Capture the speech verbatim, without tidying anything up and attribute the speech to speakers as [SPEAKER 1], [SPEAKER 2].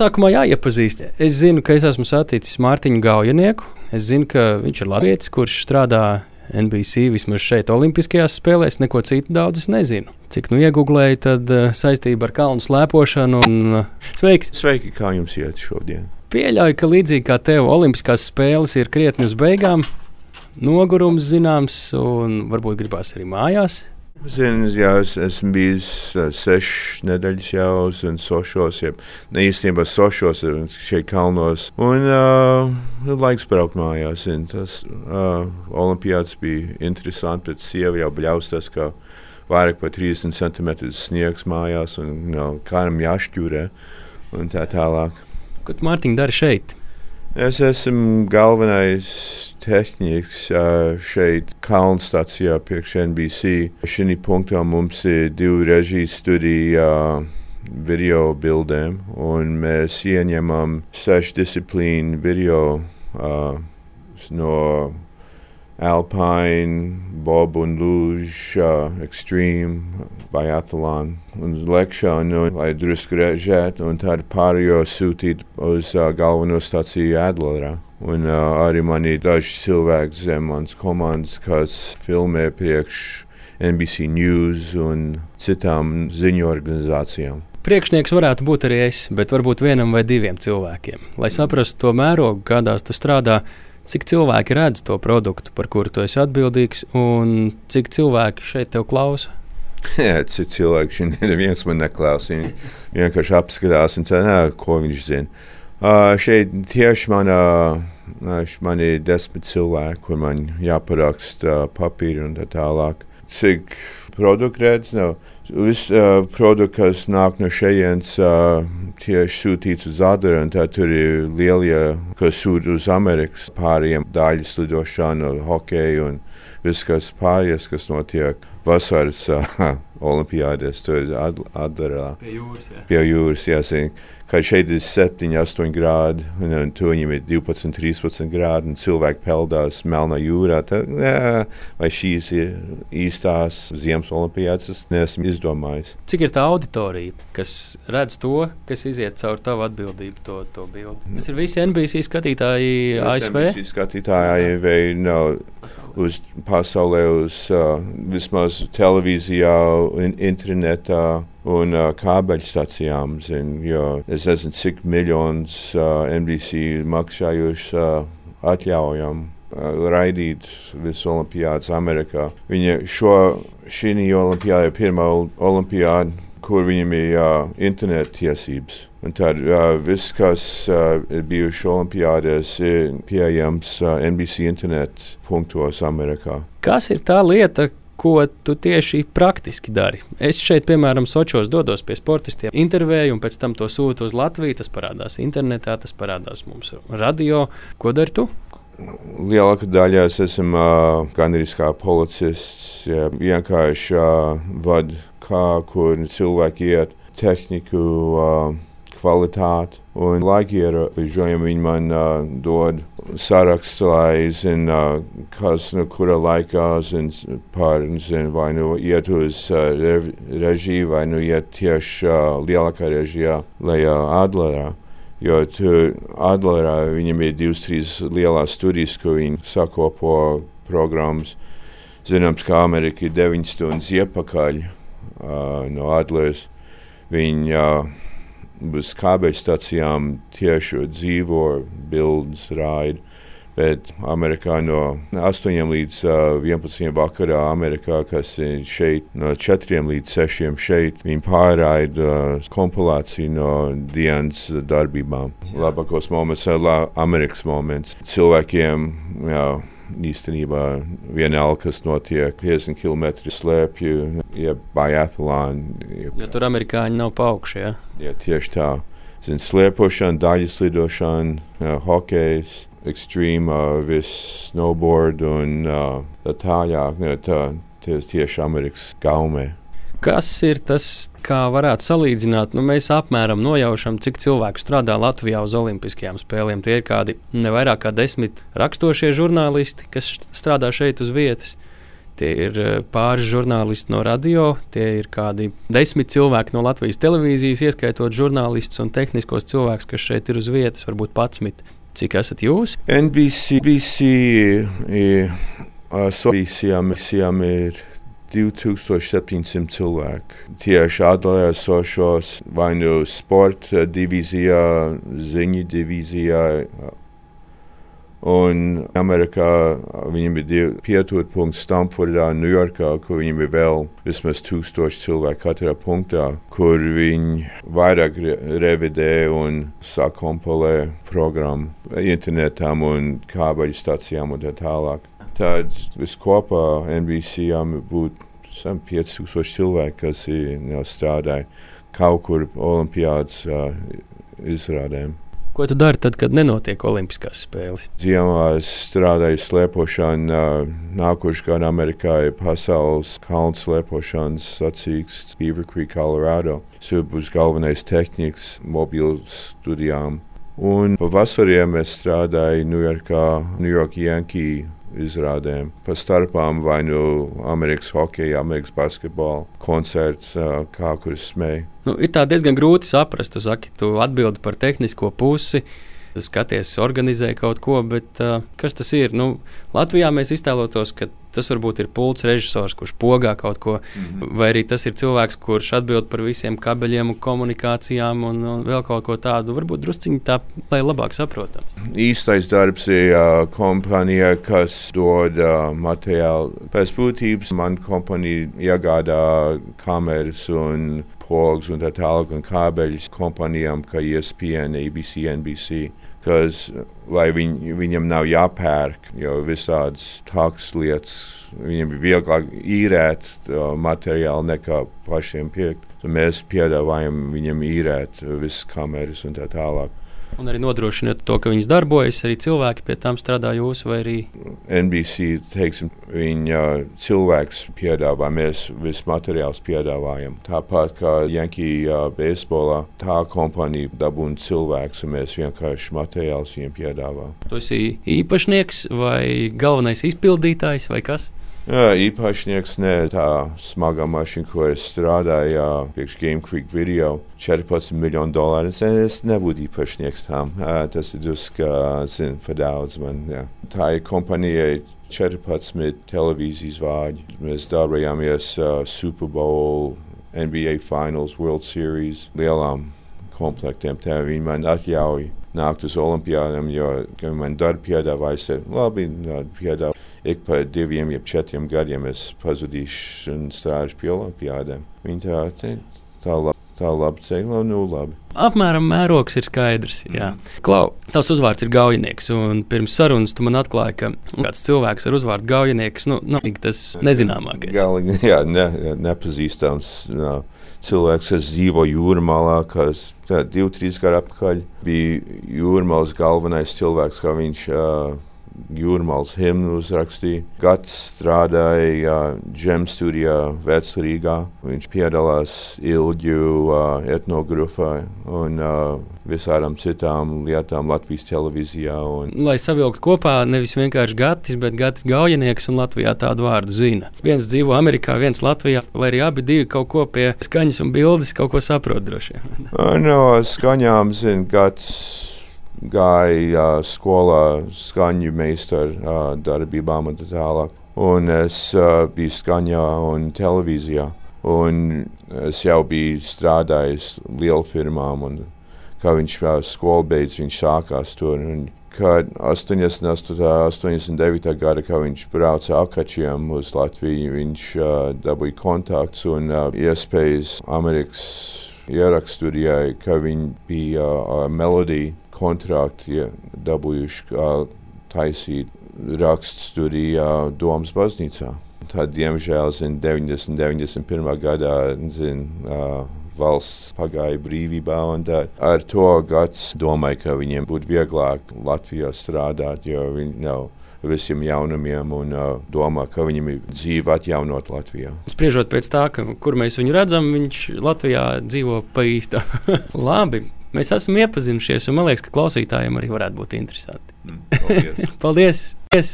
[SPEAKER 1] sākumā jāiepazīst. Es zinu, ka es esmu saticis Mārtiņu Gaujanieku. Es zinu, ka viņš ir latvietis, kurš strādā N B C vismaz šeit Olimpiskajās spēlēs. Neko citu daudz es nezinu. Cik nu iegooglēju, tad uh, saistība ar kalnu slēpošanu. Un, uh, sveiks!
[SPEAKER 2] Sveiki, kā jums iet šodien?
[SPEAKER 1] Pieļauju, ka līdzīgi kā tev Olimpiskās spēles ir krietni uz beigām. Nogurums zināms un varbūt gribās arī mājās.
[SPEAKER 2] Zinu, jā, es esmu bijis uh, sešas nedēļas jau un sošos, ja ne īstenībā sošos šeit kalnos. Un uh, laiks braukt mājās. Un tas uh, olimpiāds bija interesanti, bet sieva jau bļaustās, ka vairāk par trīsdesmit centimetrus sniegs mājās un no, kādam jāšķūrē un tā tālāk.
[SPEAKER 1] Ko tu, Mārtiņ, dari šeit?
[SPEAKER 2] Es esmu galvenais tehniķis uh, šeit kalnu stacijā priekš N B C. Šī punktā mums ir divi režijas studija uh, video bildēm, un mēs ieņemam sešu disciplīnu video uh, no Alpine, Bob un Lūž, uh, Extreme, Biathlon un lekšanu, lai drusku režētu, un tad pārējo sūtīt uz uh, galveno staciju Adlerā. Un uh, arī man ir daži cilvēki zem manas komandas, kas filmē priekš N B C News un citām ziņu organizācijām.
[SPEAKER 1] Priekšnieks varētu būt arī es, bet varbūt vienam vai diviem cilvēkiem. Lai saprastu to mērogu, kādās tu strādā, cik cilvēki redz to produktu, par kuru tu esi atbildīgs, un cik cilvēki šeit tev klausa?
[SPEAKER 2] Jā, cik cilvēki šeit neviens man neklausa. Viņi vienkārši apskatās un ceļā, ko viņš zina. Uh, šeit tieši man, uh, man ir desmit cilvēki, kur man jāparaksta uh, papīri un tā tālāk. Cik produktu redz? No. Viss uh, produkts, kas nāk no šejienes, uh, tieši sūtīts uz Adleru, un tad tur ir lielie, kas sūta uz Amerikas pārējiem daļas lidošanu, hokeju un viss, kas pārējais, kas notiek vasaras uh, olimpiādēs, tur ir Adlerā.
[SPEAKER 1] Pie jūras, jā.
[SPEAKER 2] Pie jūras, jāsaka. Kad šeit ir septiņi, astoņi grādi, un, un tur viņiem ir divpadsmit, trīspadsmit grādi, un cilvēki peldās Melnā jūrā. Tad, jā, vai šīs ir īstās ziemas olimpiādas, es neesmu izdomājis.
[SPEAKER 1] Cik ir tā auditorija, kas redz to, kas iziet caur tavu atbildību, to, to bildi? Tas ir visi N B C skatītāji A S V?
[SPEAKER 2] Visi skatītāji vai no, uz pasaulē, uz uh, vismaz televīzijā, in, internetā. Un uh, kābeļstacijām, zin, jo es nezinu, cik miljonus uh, N B C maksājuši uh, atļaujam uh, raidīt visu olimpiādas Amerikā. Viņa šo, šī olimpiāda ir pirmā olimpiāda, kur viņam ir uh, internet tiesības. Un tad uh, viss, kas uh, ir bijuši olimpiādēs, ir pieejams uh, N B C internet punktos Amerikā.
[SPEAKER 1] Kas ir tā lieta, ko tu tieši praktiski dari? Es šeit, piemēram, Sočos dodos pie sportistiem, intervēju, un pēc tam to sūtu uz Latviju. Tas parādās internetā, tas parādās mums radio. Ko dari tu?
[SPEAKER 2] Lielākā daļā es esmu uh, gandrīz kā policists, ja, vienkārši uh, vadu, kā, kur cilvēki iet, tehniku, uh, kvalitāti. Un laika ierobežojumi viņi man uh, dod sarakstu, lai zinu, uh, kas no kura laikā zinu par, zinu, vai nu iet uz uh, re, režiju, vai nu iet tieši uh, lielākā režijā, lai uh, Adlerā. Jo tur Adlerā viņam ir divas, trīs lielās studijas, ko viņi sakopo programmas. Zināms, ka Amerika ir deviņas stundas iepakaļ uh, no Adleras. Viņi uh, uz kābeļstacijām tieši dzīvo bildes raida, bet Amerikā no astoņiem līdz vienpadsmitiem vakarā Amerikā, kas ir šeit no četriem līdz sešiem šeit, viņi pārraida kompilāciju no dienas darbībām. Labākos moments ir la, Amerikas moments. Cilvēkiem, jā, īstenībā vienalga, kas notiek piecdesmit kilometru slēpju, ja biathlon. Ja,
[SPEAKER 1] jo tur amerikāņi nav pa augšu, ja?
[SPEAKER 2] Ja, tieši tā. Zin, slēpošana, daļas lidošana, ja, hokejs, extreme, uh, viss snowboard un uh, tā tāļāk. Ja, tā, tieši Amerikas gaumē.
[SPEAKER 1] Kas ir tas, kā varētu salīdzināt? Nu, mēs apmēram nojaušam, cik cilvēku strādā Latvijā uz Olimpiskajām spēlēm. Tie ir kādi ne vairāk kā desmit rakstošie žurnālisti, kas strādā šeit uz vietas. tie ir pāris žurnālisti no radio, tie ir kādi desmit cilvēki no Latvijas televīzijas, ieskaitot žurnālistus un tehniskos cilvēkus, kas šeit ir uz vietas, varbūt padsmit. Cik esat jūs?
[SPEAKER 2] N B C, B C ir, asociācijām ir divi tūkstoši septiņsimt cilvēki. Tieši atdalē esošos vai nu sporta divīzijā, ziņu divīzijā. Un Amerikā viņiem ir divi pieturpunkti Stamfordā, Ņujorkā, kur viņiem ir vēl vismaz tūkstoši cilvēki katrā punktā, kur viņi vairāk revidē un sakompilē programmu internetām un kābeļu stacijām un tā tālāk. Tad viskopā N B C būtu pieci tūkstoši cilvēki, kas ir strādāja kaut kur olimpiādas uh, izrādēm.
[SPEAKER 1] Ko tu dari tad, kad nenotiek olimpiskās spēles?
[SPEAKER 2] Ziemā es strādāju slēpošanu. Nākošais gads Amerikā ir pasaules kalnu slēpošanas sacīks Beaver Creek, Colorado. Tas būs galvenais tehnikas mobilu studijām. Un pavasariem es strādāju Ņujorkā, New York Yankee izrādēm. Pa starpām vai nu Amerikas hokeja, Amerikas basketbola koncerts, kā kur es smēju.
[SPEAKER 1] Nu, ir tā diezgan grūti saprast. Tu saki, tu atbildi par tehnisko pusi, tu skaties, organizē kaut ko, bet uh, kas tas ir? Nu, Latvijā mēs iztēlotos, ka tas varbūt ir pults režisors, kurš pogā kaut ko, mm-hmm. vai arī tas ir cilvēks, kurš atbild par visiem kabeļiem un komunikācijām un, un vēl kaut ko tādu. Varbūt drusciņi tā, lai labāk saprotam.
[SPEAKER 2] Īstais darbs ir uh, kompānija, kas dod uh, materiālu. Pēc būtības man kompānija iegādā kameras un pogas un tā tālāk un kābeļus kompānijām kā E S P N, A B C, N B C. Kas, lai viņ, viņam nav jāpērk, jo visādas tādas lietas, viņam ir vieglāk īrēt uh, materiālu nekā pašiem pirkt. So mēs piedāvājam viņam īrēt visas kameras un tā tālāk.
[SPEAKER 1] Un arī nodrošināt to, ka viņas darbojas, arī cilvēki pie tām strādā jūs vai arī?
[SPEAKER 2] N B C, teiksim, viņa cilvēks piedāvā, mēs visu materiālus piedāvājam. Tāpat kā Yankee uh, beisbolā, tā kompānija dabūna cilvēks, un mēs vienkārši materiālus viņiem piedāvā.
[SPEAKER 1] Tu esi īpašnieks vai galvenais izpildītājs vai kas?
[SPEAKER 2] Jā, īpašnieks ne tā smagā mašīna, ko es strādāju priekš Game Creek video, četrpadsmit miljonu dolāru. Es nebūtu īpašnieks tām. Tas ir drusku, zin, pa daudz man. Jā. Tā ir kompānija četrpadsmit televīzijas vāģi. Mēs darbojāmies uh, Super Bowl, N B A Finals, World Series, lielām komplektiem. Tā viņi man atļauj nākt uz olimpiādām, jo man darba piedāvāja, labi, piedāvāja. Ik pa diviem, jeb četriem gadiem es pazudīšu un strādāšu pie olimpiādēm. Viņi tā, tā, tā, lab, tā labi teikt, nu labi.
[SPEAKER 1] Apmēram mērogs ir skaidrs, jā. Klau, tavs uzvārds ir Gaujinieks, un pirms sarunas tu man atklāji, ka kāds cilvēks ar uzvārdu Gaujinieks, nu, nav tas nezināmākais.
[SPEAKER 2] Galīgi, jā, ne, nepazīstams no, cilvēks, kas dzīvo Jūrmalā, kas tā, divi, trīs gadu atpakaļ bija Jūrmalas galvenais cilvēks, kā viņš uh, Jūrmalas himnu uzrakstīja. Gads strādāja Džem studijā Vecrīgā. Viņš piedalās ilģu uh, etnografā un uh, visādām citām lietām Latvijas televīzijā. Un...
[SPEAKER 1] Lai savilktu kopā nevis vienkārši Gatis, bet Gatis Gaujinieks, un Latvijā tādu vārdu zina. Viens dzīvo Amerikā, viens Latvijā, lai arī abi divi kaut ko pie skaņas un bildes kaut ko saprot droši vien.
[SPEAKER 2] No skaņām, zin, Gatis gāja uh, skolā skaņu meistaru uh, darbībām un tā tālāk. Un es uh, biju skaņā un televīzijā. Un es jau biju strādājis lielfirmām. Un kā viņš uh, skolu beidz, viņš sākās tur. Un kad astoņdesmit astoņā, astoņdesmit devītā gada, kad viņš brauca akačiem uz Latviju, viņš uh, dabūja kontakts un uh, iespējas Amerikas ierakststudijai, ka viņi bija uh, melodija kontrakti ja, dabūjuši uh, taisīt rakststudijā Domas baznīcā. Tad, diemžēl, zin, deviņdesmit, deviņdesmit pirmā gadā, zin, uh, valsts pagāja brīvībā, un tā, ar to gads domāju, ka viņiem būtu vieglāk Latvijā strādāt, jo viņi nav visiem jaunumiem un uh, domā, ka viņam ir dzīve atjaunot Latvijā.
[SPEAKER 1] Spriežot pēc tā, ka, kur mēs viņu redzam, viņš Latvijā dzīvo pa īstā. Labi, mēs esam iepazinušies, un man liekas, ka klausītājiem arī varētu būt interesanti.
[SPEAKER 2] Mm, paldies!
[SPEAKER 1] Paldies! Paldies.